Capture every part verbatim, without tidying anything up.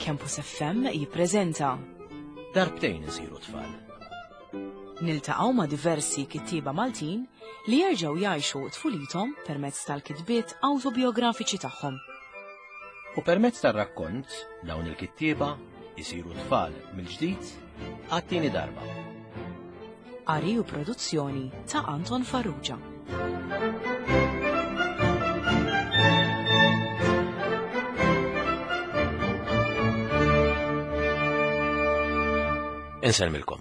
Campus F M jippreżenta Darbtejn isiru tfal. Niltaqgħu ma' diversi kittieba Maltin li jerġgħu jgħixu tfulithom permezz tal-kitbiet awtobiografiċi tagħhom. U permezz tar-rakkont dawn il-kittieba jisiru tfal mill-ġdid għat-tieni darba. Qari u produzzjoni ta' Anton Farrugia. Insellmilkom.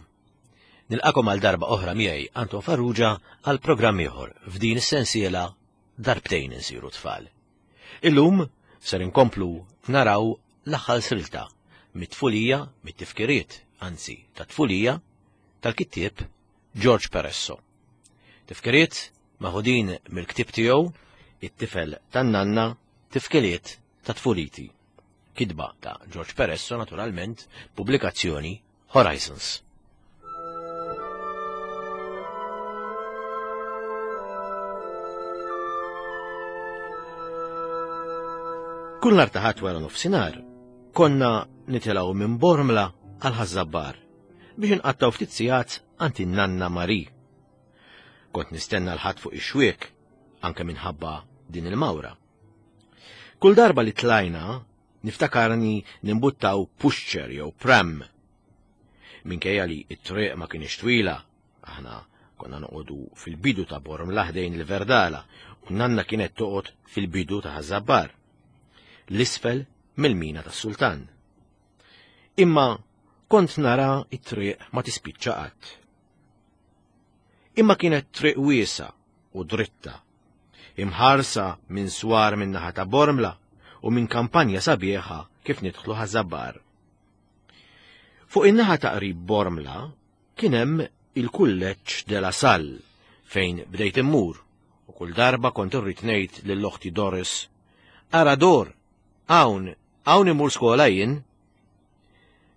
Nilqakom għal darba oħra miegħi Anton Farrugia għal programm ieħor f'din is-sensiela Darbtejn insiru tfal. Illum ser inkomplu naraw l-aħħar silta mit-tfulija, mit-tifkiriet, anzi tat-tfulija tal-kittieb George Peresso. Tifkiriet maħudin mill-ktieb tiegħu It-tifel tan-nanna, tifkiriet ta' tfuliti. Kitba ta' George Peresso, naturalment, pubblikazzjoni Horizons. Kull nhar ta' Ħadd wara nofsinhar, konna nitilgħu minn Bormla għal Ħaż-Żabbar biex inqattgħu ftit sigħat għand in-nanna Mari. Kont nistenna l-Ħadd fuq ix-xwiek anke minħabba din il-mawra. Kull darba li tlajna niftakarni nimbuttaw pushchair jew pram. Minkejja li t-triq ma kienx twila, aħna konna noqogħdu fil-bidu ta' Bormla ħdejn il-Verdala u nanna kienet toqgħod fil-bidu ta' Ħaż-Żabbar, l-isfel mill-mina tas-Sultan. Imma kont nara t-triq ma tispiċċa qatt. Imma kienet triq wiesa u dritta, imħarsa minn swar minn naħa ta' Bormla u minn kampanja sabiħa kif nidħlu Ħaż-Żabbar. Fuq in-naħa ta' qrib Bormla kien hemm il-kulleġġ de la Salle fejn bdejt immur u kull darba kont irrid ngħid lil oħti Doris, Ara Dor, hawn, hawn immur skola jien.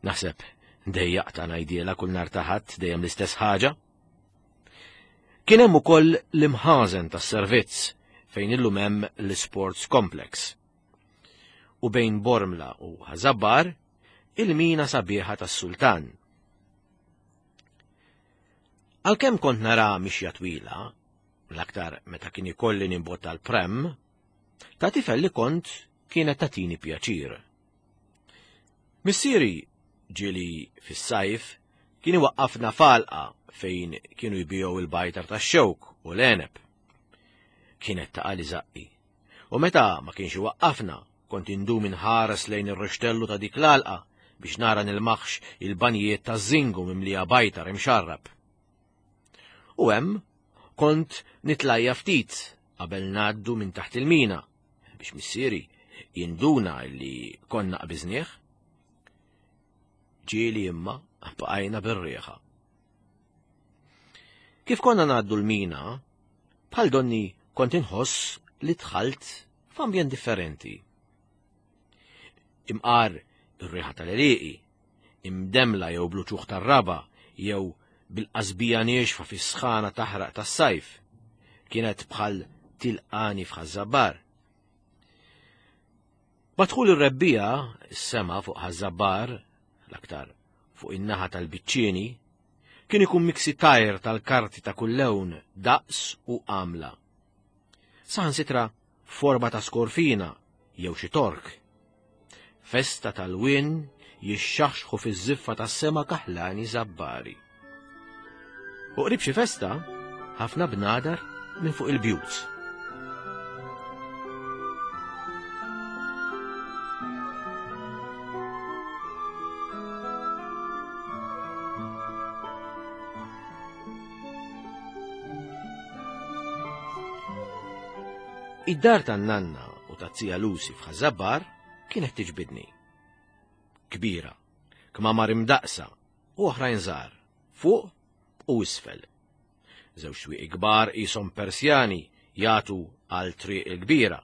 Naħseb dejjaqta ngħidielha kull nhar ta' Ħadd dejjem l-istess ħaġa. Kien hemm ukoll l-imħażen tas-servizz fejn illum hemm l-Sports Complex. U bejn Bormla u Ħaż-Żabbar il-mina sabiħa tas-Sultan. Għalkemm kont nara mixja twila, l-aktar meta kien ikolli nimbotta l-prem, ta' tifel li kont kienet tatini pjaċir. Missieri ġieli fis-sajf kien iwaqqafna falqa fejn kienu jbigħu il-bajtar tax-xewk u l-għeneb. Kienet taqa' li żaqqi. U meta ma kienx iwaqqafna, kont indum inħares lejn ir-rixtellu ta' dik l-għalqa biex nara nilmaħx il-banjiet ta' żingu mimlija bajtar imxarrab. U hemm kont nitlajja ftit qabel ngħaddu minn taħt il-mina biex missieri jinduna li konna qbiżnieh. Ġieli imma bqajna bir-rieħa. Kif konna ngħaddu l-mina, bħal donni kont inħoss li dħalt f'ambjent differenti. Imqar ir-riħa tal-għelieqi, imdemla jew bluċuħ tar-raba jew bil-qasbija niexfa fis-sħana taħraq tas-sajf, kienet bħal tilqani f'Ħaż-Żabbar. Madħul ir-rebbija, is-sema fuq Ħaż-Żabbar, l-aktar fuq in-naħa tal-biċċieni, kien ikun miksi tajr tal-karti ta' kull lewn, daqs u għamla. Saħansitra forma ta' skorfina jew xi tork. Festa tal-wien jixxaħxħu fiż-żiffa tas-sema kaħlani żabbari. U qrib xi festa, ħafna bnadar minn fuq il-bjut. Id-dar tan-nanna u taz-zija Lucy f'Ħaż-Żabbar kienet tiġbidni. Kbira, kmamar imdaqsa u oħrajn żgħar, fuq u isfel. Żewġ twieqi kbar qishom Persjani jagħtu għal triq il-kbira.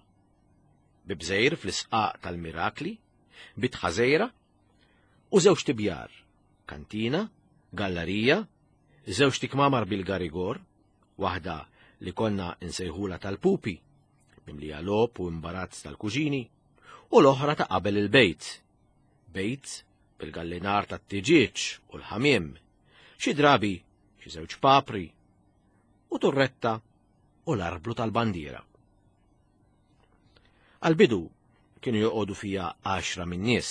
Bibżejr fl-isqaq tal-Mirakli, bitħa żgħira u żewġ tibjar, kantina, gallerija, żewġ tikmamar bil-garigor, waħda li konna nsejħula tal-pupi, mimlija logħob u imbarazz tal-kuġini, u l-oħra ta' qabel il-bejt, Bejt bil-gallinar tat-tiġieġ u l-ħamiem, xi drabi xi żewġ papri, u turretta u l-arblu tal-bandiera. Għal-bidu kienu joqogħdu fija għaxra minn nies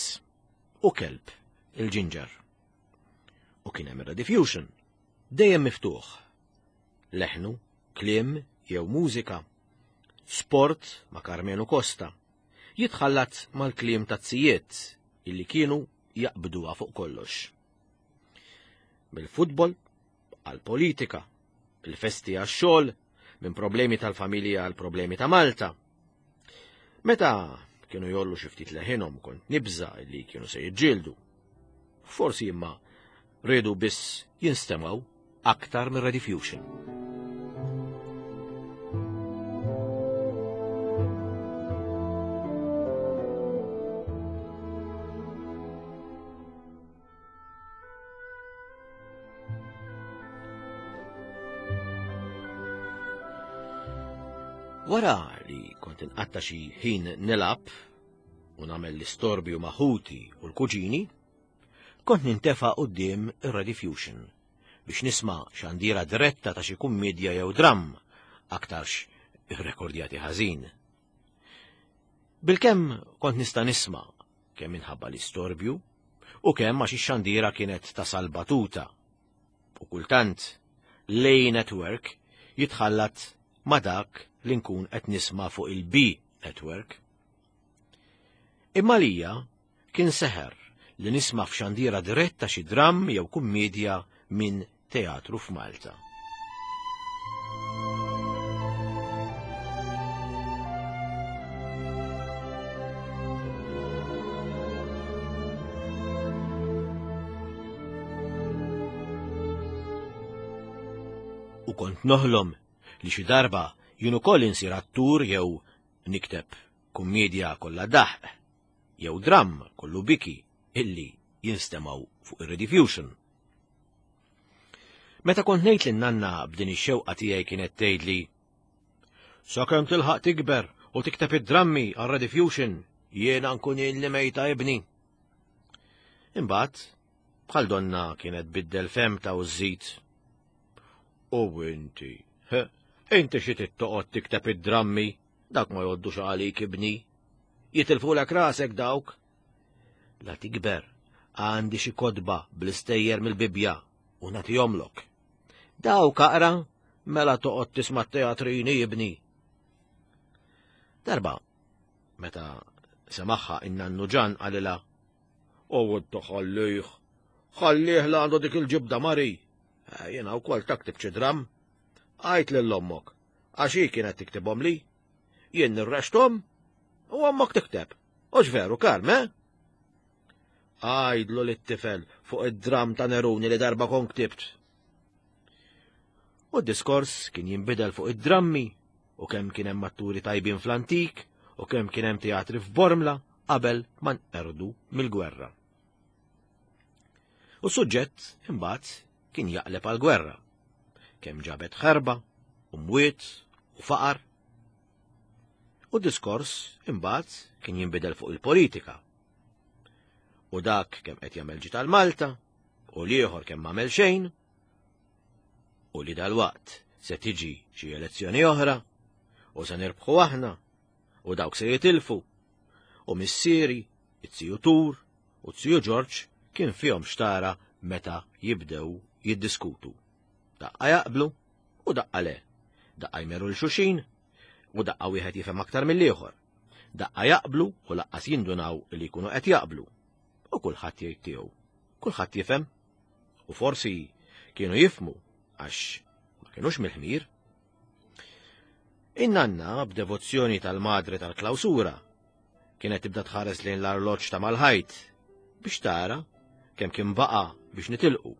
u kelb il-ġinġer. U kien hemm ir-Rediffusion, dejjem miftuħ. Leħnu, kliem jew mużika, sport ma' Karmenu Costa, jitħallat mal-kliem tazzijiet illi kienu jaqbduha fuq kollox. Mill-futbol għal-politika, il-festi għax-xogħol, minn problemi tal-familja għal problemi ta' Malta. Meta kienu jollu xi ftit leħinhom kont nibża li kienu se jiġġieldu. Forsi imma riedu biss jinstemgħu aktar mir Rediffusion. Wara li kont inqatta xi ħin nilgħab u nagħmel l-istorbju ma' ħuti u l-kuġini, kont nintefa' quddiem ir-Rediffusion biex nisma' xandira diretta ta' xi kummedja jew dramm, aktarx irrekordjati ħażin. Bilkemm kont nista' nisma' kemm minħabba l-istorbju u kemm għax ix-xandira kienet tasal batuta. U kultant l-A Network jitħallat ma' dak li nkun qed nisma' fuq il-B Network. Imma lija kien seħer li nisma' f'xandira diretta xi dramm jew kummedja minn teatru f'Malta. U kont noħlom li xi darba jien ukoll insir attur jew nikteb kummedja kollha daħq jew dramm kollu biki illi jinstemgħu fuq ir-Rediffusion. Meta kont ngħid lin nanna b'din ix-xewqa tiegħi kienet tgħidli: "Sakemm tilħaq tikber u tikteb id-drammi għar-Rediffusion, jiena nkun li mejta ibni." Imbagħad bħal donna kienet biddel femta u żżid. U inti, he, inti xi tittoqgħod tikteb id-drammi, dak ma jgħoddux għalik ibni. Jitilfulek rasek dawk. La tikber, għandi xi kotba bl-istejjer mill-Bibbja u nagħtihomlok. Dawk aqra, mela toqgħod tisma' teatrini ibni. Darba, meta semaħħa in-nannu Ġan qalilha: "U ħallih, ħallih la għandu dik il-ġibda Mari. Jiena wkoll taktib xi dramm. Għajt lil ommok, għax hi kienet tiktibhom li. Jien nirrexthom u ommok tikteb. Hux veru, Karm, eh?" Għajdlu lit-tifel fuq id-dramm ta' Neruni li darba kon ktibt. U d-diskors kien jinbidel fuq id-drammi u kemm kien hemm atturi tajbin fl-antik u kemm kien hemm teatri f'Bormla qabel ma nqerdu mill-gwerra. U s-suġġett imbagħad kien jaqleb għall-gwerra. Kemm ġabet ħerba, u mwiet, u faqar. U d-diskors imbagħad kien jinbidel fuq il-politika. U dak kemm qed jagħmel ġid għal Malta, u l-ieħor kemm m'għamel xejn, u li dalwaqt se tiġi xi elezzjoni oħra, u se nirbħu aħna, u dawk se jitilfu, u missieri, it-tiju Tur, u t-tiju Ġorġ kien fihom xtara meta jibdew jiddiskutu. Daqqa jaqblu u daqqa le. Daqqa jmeru l xuxin u daqqa wieħed jifhem aktar mill-ieħor. Daqqa jaqblu u laqqas jindunaw li jkunu qed jaqblu. U kulħadd jgħid tiegħu. Kulħadd jifhem. U forsi kienu jifhmu għax ma kinux mill-ħmir. In-nanna b'devozzjoni tal-madre tal-klawsura kienet tibda tħares lejn l-arloġġ ta' mal-ħajt biex tara kemm kien baqa' biex nitilqu,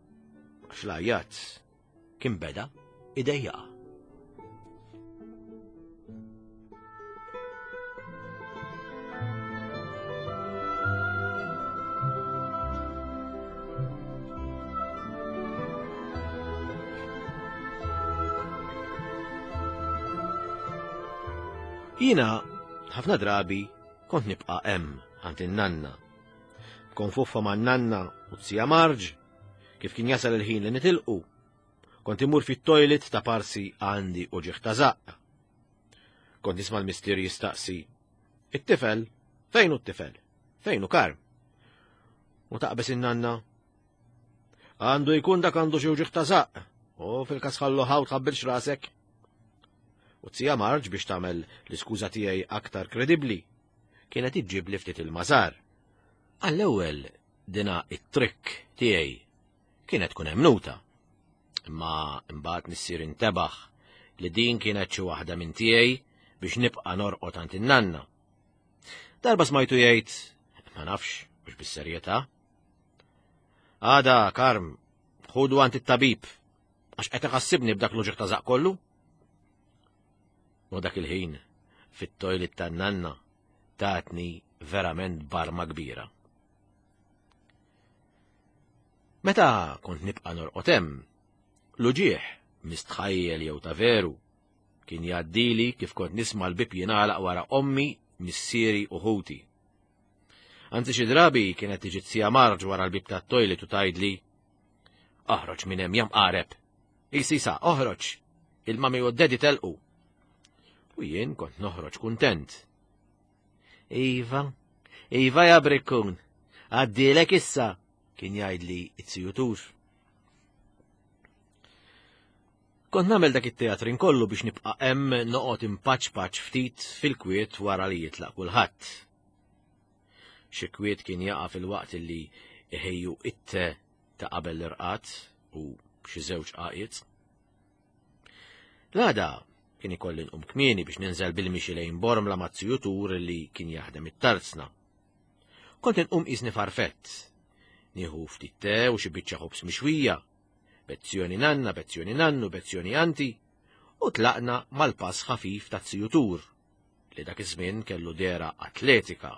għax l-għajat kien beda idejjaqa. Jiena ħafna drabi kont nibqa' hemm għand in-nanna. Nikkonfuffa man-nanna u t-sija Marġ, kif kien jasal il-ħin li nitilqu. Kont imur fit-toilet ta' parsi għandi u ġieħ ta' żaqq. Kont nisma' l-mistier jistaqsi, it-tifel, fejn hu t-tifel? Fejn hu Karm? U taqbes in-nanna, għandu jkun dak għandu xi uġigħ ta' żaqq, u fil-każ ħallu ħaw tħabbilx rasek. U t-sija Marġ biex tagħmel l-iskuża tiegħi aktar kredibbli, kienet iġġib li ftit il-mażar. Għall-ewwel dina it-trikk tiegħi kienet tkun emnuta. Imma imbagħad missier intebaħ li din kienet xi waħda minn tiegħi biex nibqa' norqod għand in-nanna. Darba smajtu jgħid, ma nafx, mhux bis-serjetà. Għada, Karm, ħudu għand it-tabib, għax qed iħassibni b'dak l-uġigħ ta' żaqq kollu. U dak il-ħin, fit-toilet tan-nanna, tatni verament barma kbira. Meta kont nibqa' norqod hemm, l-uġigħ mistħajjel jew ta' veru kien jgħaddili kif kont nisma' l-bib jingħalaq wara ommi, missieri u ħuti. Anzi xi drabi kienet tiġi t-sija Marġ wara l-bib tat-toilet u tgħidli, oħroġ minn hemm jam qareb. Isisa, oħroġ, il-mami u d-dedi telqu. U jien kont noħroġ kuntent. Iva, iva ja brikkun, għaddilek issa, kien jgħidli it-sijutur. Kont nagħmel dak it-teatrin kollu biex nibqa' hemm noqgħod impaċ-paċ ftit fil-kwiet wara li jitlaq kulħadd. Xi kwiet kien jaqa' fil-waqt li iħejju it-te ta' qabel l-irqad u xi żewġ qaqiet. L-għada kien ikolli nqum kmieni biex ninżel bil-mixi lejn Bormla ma' zijutur li kien jaħdem it-tarzna. Kont inqum qisni farfett, nieħu ftit te u xi biċċa ħobż mixwija, bezzjoni nanna, bezzjoni nannu, bezzjoni anti, u tlaqna mal-pass ħafif ta' zijutur, li dak iż-żmien kellu dehra atletika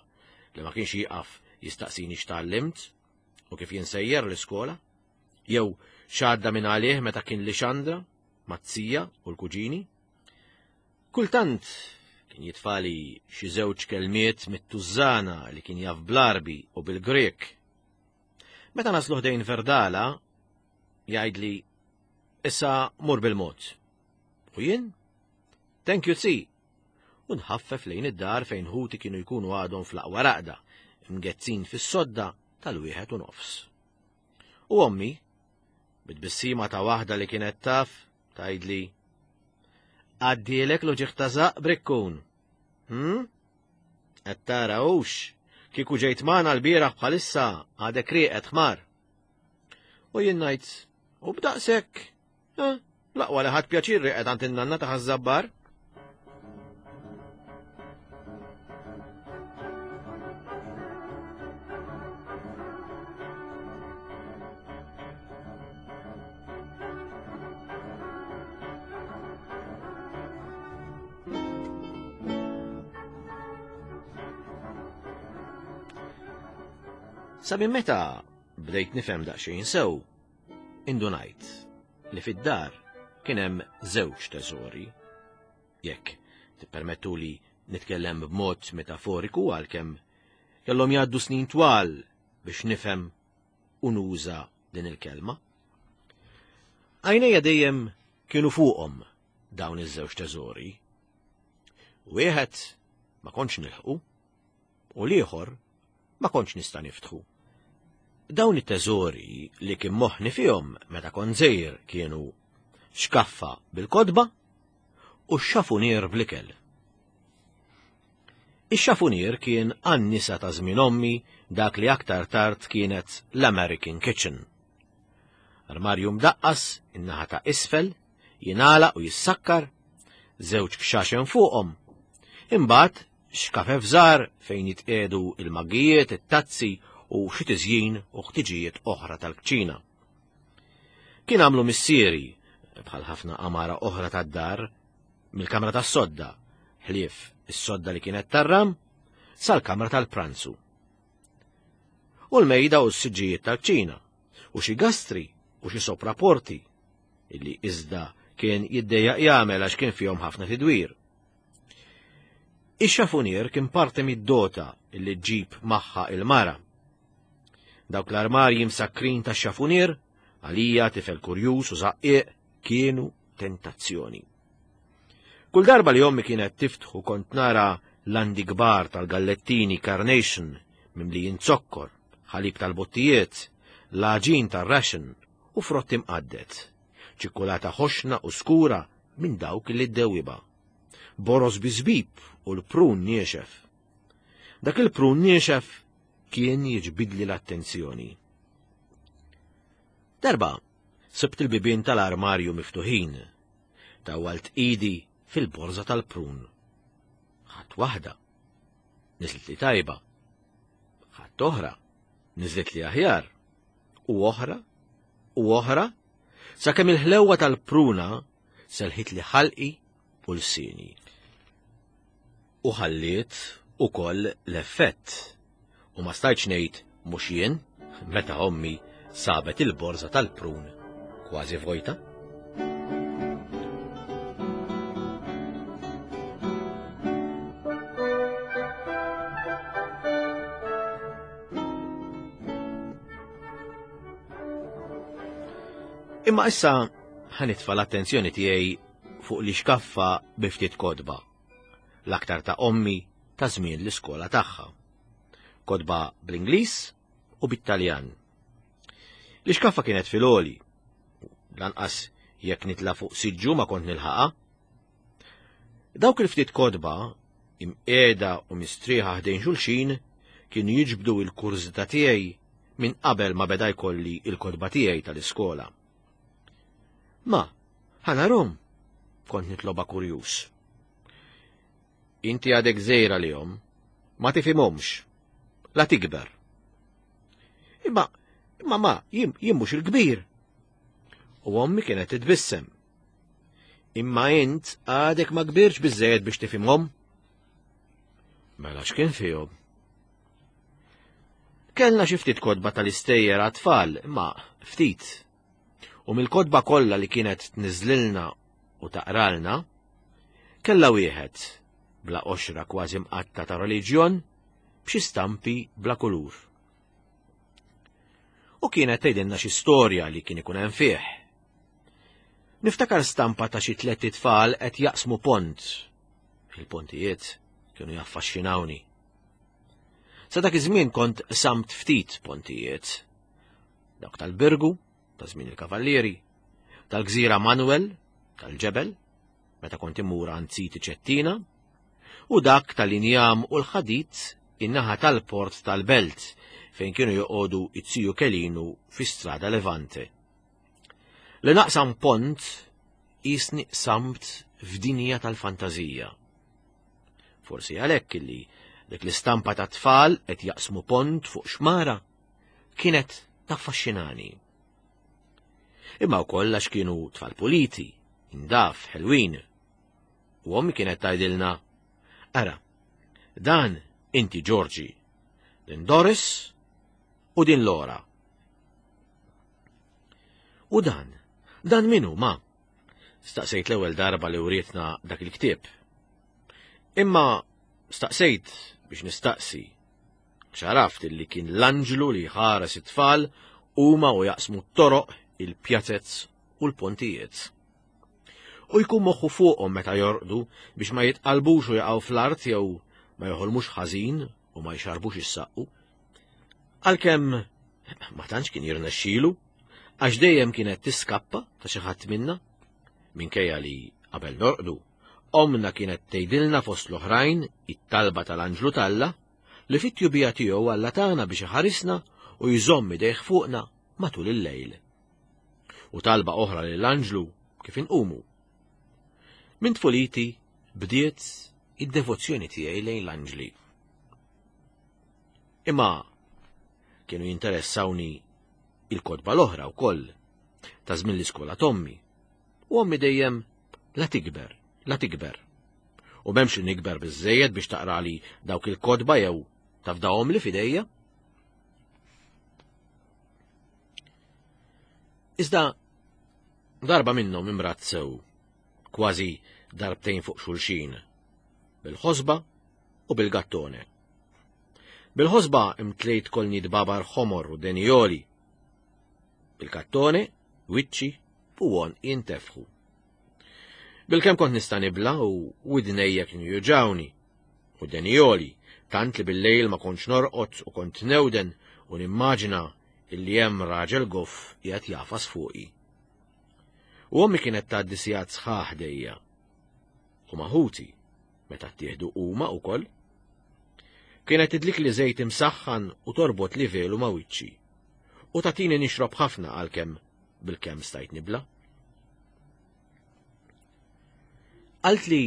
li ma kienx jieqaf jistaqsini x'tgħallimt u kif jinsejjer l-iskola, jew x'għadda minn għalih meta kien li xandra, mazzija u l-kuġini. Kultant kien jitfali xi żewġ kelmiet mit-tużżana li kien jaf bl-Arbi u bil-Grek. Meta naslu ħdejn Verdala, jgħidli, issa mur bil-mod. U jien? Thank you, si. U nħaffef lejn id-dar fejn ħuti kienu jkunu għadhom fl-aqwa raqda, mgezzin fis-sodda tal-wieħed u nofs. U ommi, bit-tbissima ta' waħda li kienet taf, tgħidli, għaddielek l-uġigħ ta' żaqq brikkun. Hm? Qed tara hux, kieku ġejt magħna l-bieraħ bħalissa għadek rieqed ħmar. U jien ngħid, u b'daqshekk, eh, l-aqwa li ħadd pjaċir rieqed għand in-nanna ta' Ħaż-Żabbar. Sa minn meta bdejt nifhem daqsxejn sew, indunajt li fid-dar kien hemm żewġ teżori. Jekk tippermettuli nitkellem b'mod metaforiku għalkemm kellhom jgħaddu snin twal biex nifhem u nuża din il-kelma. Għajnejja dejjem kienu fuqhom dawn iż-żewġ teżori. Wieħed ma kontx nilħqu u l-ieħor ma kontx nista' niftħu. Dawn it-teżori li kien moħħni fihom meta kont żgħir kienu xkaffa bil-kotba u x-xafunier bl-ikel. Ix-xafunier kien għan-nisa ta' żmien ommi dak li aktar tard kienet l-American Kitchen. Armarju mdaqqas in-naħa ta' isfel, jingħalaq u jissakkar, żewġ kxaxen fuqhom. Imbagħad xkafef żgħar fejn jitqiegħdu il-maggijiet, it-tazzi u xi tiżjin u ħtiġijiet oħra tal-kċina. Kien għamlu missieri, bħal ħafna għamara oħra tad-dar, mill-kamra tas-sodda, ħlief is-sodda li kienet tarram, sal-kamra tal-pranzu. U l-mejda u s-siġġijiet tal-kċina, u xi gastri u xi sopraporti, illi iżda kien jiddejjaq jagħmel għax kien fihom ħafna tidwir. Ix-xafunier kien parti mid-dota illi ġġib magħha il-mara. Dawk l-armarji msakkrin tax-xafunier, għalija tifel kurjuż u żaqqieq, kienu tentazzjoni. Kull darba li ommi kienet tiftħu kont nara landi kbar tal-gallettini Carnation mimlijin zokkor, ħalib tal-bottijiet, l-għaġin tar-ration u frott imqadded, ċikkulata ħoxna u skura minn dawk li ddewwiba. Boroż bi żbib u l-prun niexef. Dak il-prun niexef kien jiġbidli l-attenzjoni. Darba, sibt il-bibien tal-armarju miftuħin. Tawwalt idi fil-borża tal-prun. Ħadt waħda. Niżlet li tajba. Ħadt oħra. Niżlet li aħjar. U oħra. U oħra. Sakemm il-ħlewwa tal-pruna selħit li ħalqi u lsieni. U ħalliet ukoll l-effett. U ma stajtx ngħid mhux jien meta ommi sabet il-borża tal-prun kważi vojta. Imma issa ħanitfa' l-attenzjoni tiegħi fuq li xkaffa bi ftit kotba, l-aktar ta' ommi ta' żmien l-iskola tagħha. Kotba bl-Ingliż u bit-Taljan. L-ixkaffa kienet fil-għoli, lanqas jekk nitla' fuq siġġu ma kont nilħaqha. Dawk il-ftit kotba, imqiegħda u mistrieħa ħdejn xulxin, kienu jiġbdu l-kurżità tiegħi minn qabel ma beda jkolli il-kotba tiegħi tal-iskola. Ma, ħanarom, kont nitloba kurjuż. Inti għadek żgħira lihom, ma tifhimhomx, la tikber. Imma, imma ma, jien, jien mhux il-kbir. U ommi kienet titbissem. Imma int għadek ma kbirx biżżejjed biex tifhimhom. Mela x'kien fihom? Kellna xi ftit kotba tal-istejjer għat-tfal, imma ftit. U mill-kotba kollha li kienet tniżlilna u taqralna, kellha wieħed bla qoxra kważi mqatta ta' reliġjon b'xi stampi bla kulur. U kienet tgħidilna xi storja li kien ikun hemm fih. Niftakar stampa ta' xi tliet itfal qed jaqsmu pont. Il-pontijiet kienu jaffaxxinawni. Sa dak iż-żmien kont samt ftit pontijiet. Dawk tal-Birgu, ta' żmien il-Kavallieri, tal-Gżira Manuel, tal-Ġebel, meta kont immur għand Siti Ċettina, u dak tal-injam u l-ħadid in-naħa tal-port tal-Belt fejn kienu joqogħdu it-Siju Kelinu fi Strada Levante. Li naqsam pont jisni samt f'dinja tal-fantażija. Forsi għalhekk illi dik l-istampa ta' tfal qed jaqsmu pont fuq xmara kienet taffaxxinani. Imma wkoll għax kienu tfal puliti, indaf, ħelwin. U ommi kienet tgħidilna, ara, dan inti Ġorġi, din Doris u din Lora. U dan, dan minu ma? Staqsejt l-ewwel darba li wrietna dak il-ktieb. Imma staqsejt biex nistaqsi, x'għaraft illi kien l-anġlu li ħares it-tfal huma u jaqsmu t-toroq, il-pjazez u l-pontijiet. U jkun moħħu fuqhom meta jorqdu biex ma jitqalbux u jaqgħu fl-art jew ma joħolmux ħażin u ma jxarbux is-saqqu. Għalkemm ma tantx kien jirnexxilu, għax dejjem kienet tiskappa ta' xi ħadd minna, minkejja li qabel norqdu, omna kienet tgħidilna fost l-oħrajn it-talba tal-anġlu t'Alla li fit-tjubija tiegħu Alla tagħna biex iħarisna u jżomm idejh fuqna matul il-lejl. U talba oħra lill-anġlu kif inqumu. Minn tfuliti bdiet id-devozzjoni tiegħi lejn l-anġli. Imma kienu jinteressawni il-kotba l-oħra wkoll ta' żmien l-iskola t'ommi. U ommi dejjem la tikber, la tikber. U m'hemmx li nikber biżżejjed biex taqrali dawk il-kotba jew tafdahom li f'idejja. Iżda darba minnhom imrat sew, kważi darbtejn fuq xulxin, bil-ħosba u bil-gattone. Bil-ħosba imtlejt kolni dbabar ħomor u denjoli. Bil-kattone, wiċċi u għon jintefħu. Bil-kem kont nista' nibla u widnejja kienu juġawni u denjoli, tant li bil-lejl ma kontx norqod u kont newden u nimmaġina illi hemm raġel goff qiegħed jafas fuqi. U ommi kienet tgħaddi sigħat sħaħ dejja. U maħuti, meta ttieħdu huma wkoll. Kienet tidlik li żejt imsaħħan u torbot li velu ma' wiċċi. U tatini nixrob ħafna għalkemm bil-kemm stajt nibla. Qalt li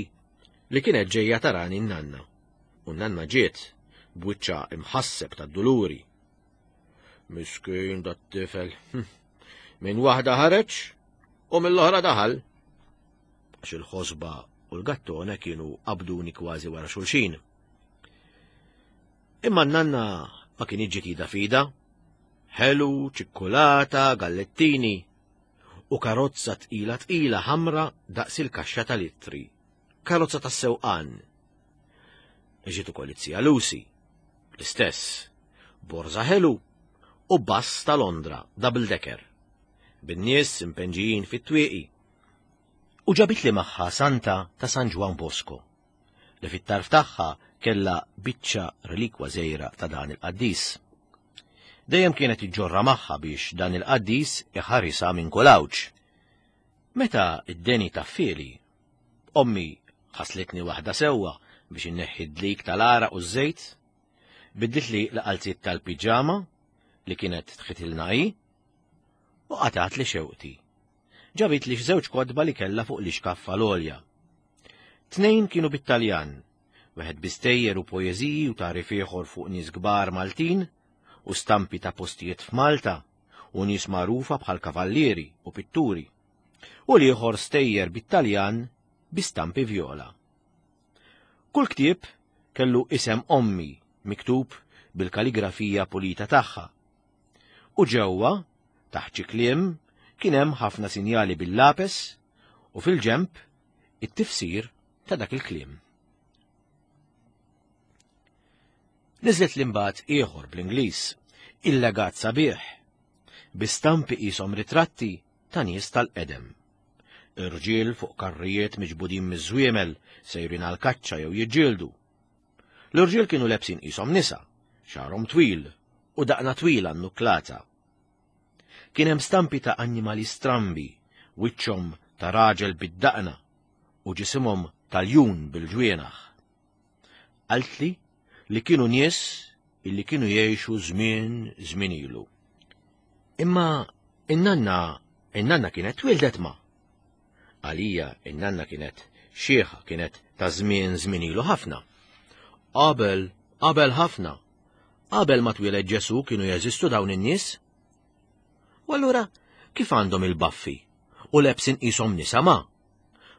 li kienet ġejja tarani n-nanna. U n-nanna ġiet b'wiċċa imħasseb tad-duluri. Miskin dat-tifel. Minn waħda ħareġ u mill-oħra daħal. Għax il-ħosba u l-gattone kienu qabduni kważi wara xulxin. Imma n-nanna ma kien ġiet fida. Ħelu, ċikkulata, gallettini u karozza tqila tqila ħamra daqs il-kaxxa tal-ittri. Karozza tas-sewqan. Ġiet ukoll it-zija Lucy, l-istess, borża ħelu u bass ta' Londra, double decker, bin-nies impenġijin fit-twieqi. U ġabit li magħha Santa ta' San Ġwann Bosco, li fit-tarf tagħha kellha biċċa relikwa żgħira ta' dan il-qaddis. Dejjem kienet iġġorra magħha biex dan il-qaddis iħarisha minn kull għawġ. Meta id-deni taffieli, ommi ħaslitni waħda sewwa biex inneħħi d-dlik tal-għaraq u ż-żejt, bidditli l-qalziet tal-piġama li kienet tħitilna hi, u qatgħat li xewqti. Ġabit li żewġ kotba li kellha fuq l-ixkaffa l-għolja. Tnejn kienu bit-Taljan, wieħed bi stejjer u poeżiji u tagħrif ieħor fuq nies kbar Maltin u stampi ta' postijiet f'Malta u nies magħrufa bħal kavallieri u pitturi, u l-ieħor stejjer bit-Taljan bi stampi vjola. Kull ktieb kellu isem ommi miktub bil-kaligrafija pulita tagħha. U ġewwa, taħt xi kliem, kien hemm ħafna sinjali bil-lapes u fil-ġemp it-tifsir ta' dak il-kliem. Niżlet l-imbagħad ieħor bl-Ingliż, il-legat sabiħ, bi stampi qishom ritratti ta' nies tal-qedem. Irġiel fuq karrijiet miġbudin miż-żwiemel sejrin għal kaċċa jew jiġġieldu. L-irġiel kienu lebsin qishom nisa, xagħarhom twil u daqna twila nnuklata. Kien hemm stampi ta' annimali strambi, wiċċhom ta' raġel bid-daqna u ġisimhom tal-jun bil-ġwienaħ. Qaltli li kienu nies illi kienu jgħixu żmien żmien ilu. Imma in-nanna in-nanna kienet twildet ma. Għalija in-nanna kienet xieħa, kienet ta' żmien żmien ilu ħafna. Qabel, qabel ħafna. Qabel ma twieled Ġesu kienu jeżistu dawn in-nies. U allura kif għandhom il-baffi u lebsin qishom nisa ma?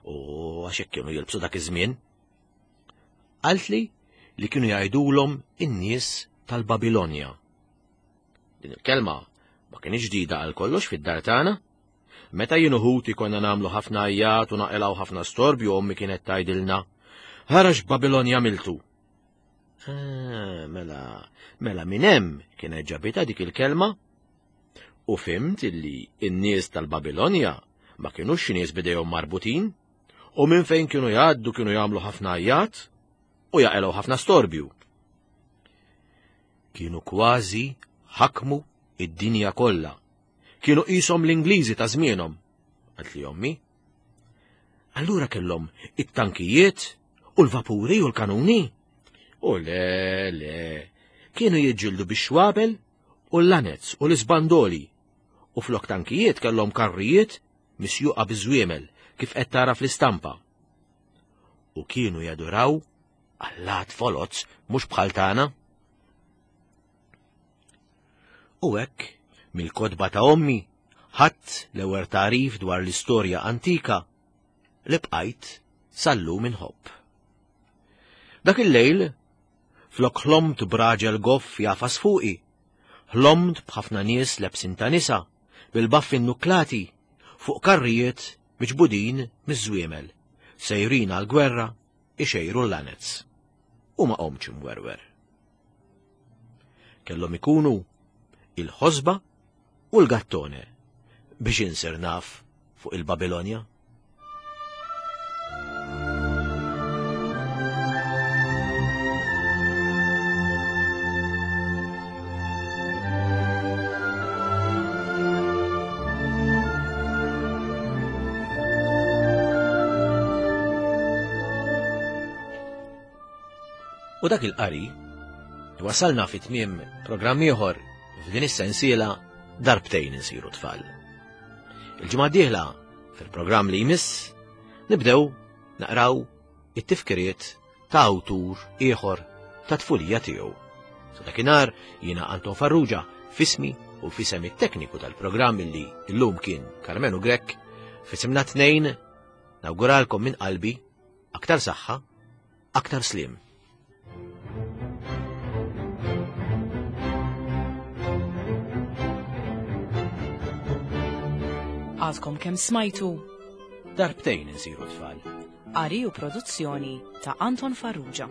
U għax hekk kienu jilbsu dak iż-żmien. Qaltli li kienu jgħidulhom in-nies tal-Babilonja. Din il-kelma ma kienx ġdida għal kollox fid-dar tagħna. Meta jien u ħuti konna nagħmlu ħafna għajjat u naqilgħu ħafna storbju, ommi kienet tgħidilna, "Ħarax Babilonja miltu." Ah, mela, mela minn hemm kienet ġabitha dik il-kelma. U fimt illi n-nies tal-Babilonja ma kienux xi nies bidejhom marbutin, u minn fejn kienu jgħaddu kienu jagħmlu ħafna għajjat u jaqilgħu ħafna storbju. Kienu kważi ħakmu id-dinja kollha. Kienu qishom l-Ingliżi ta' żmienhom, qaltli ommi. Allura kellhom it-tankijiet u l-vapuri u l-kanuni. U le, le, kienu jiġġieldu bix-xwabel u l-lanez u l-isbandoli. U flok tankijiet kellhom karrijiet misjuqa biż-żwiemel kif qed tara fl-istampa. U kienu jaduraw allat foloz mhux bħal tagħna. U hekk mill-kotba ta' ommi ħadd l-ewwel tagħrif dwar l-istorja antika li bqajt sal-lum inħobb. Dak il-lejl flok ħlomt b'raġel goff jafas fuqi, ħlomt b'ħafna nies lebsin ta' nisa bil-baffi nnuklati fuq karrijiet miġbudin miż-żwiemel, sejrin għal-gwerra ixejru l-lanez. U ma qomx imwerwer. Kellhom ikunu il-ħosba u l-gattone biex insir naf fuq il-Babilonja. U dak il-qari wasalna fi tmiem programm ieħor f'din is-sensiela darbtejn insiru tfal. Il-ġimgħa d-dieħla fil-programm li jmiss nibdew naqraw it-tifkiriet ta' awtur ieħor ta' tfulija tiegħu. Sa dakinhar jiena Anton Farrugia fismi u fisem it-tekniku tal-programm li llum kien Karmenu Grech, fisimna tnejn nawguralkom minn qalbi aktar saħħa, aktar slim. Għadkom kemm smajtu Darbtejn insiru tfal. Qari u produzzjoni ta' Anton Farrugia.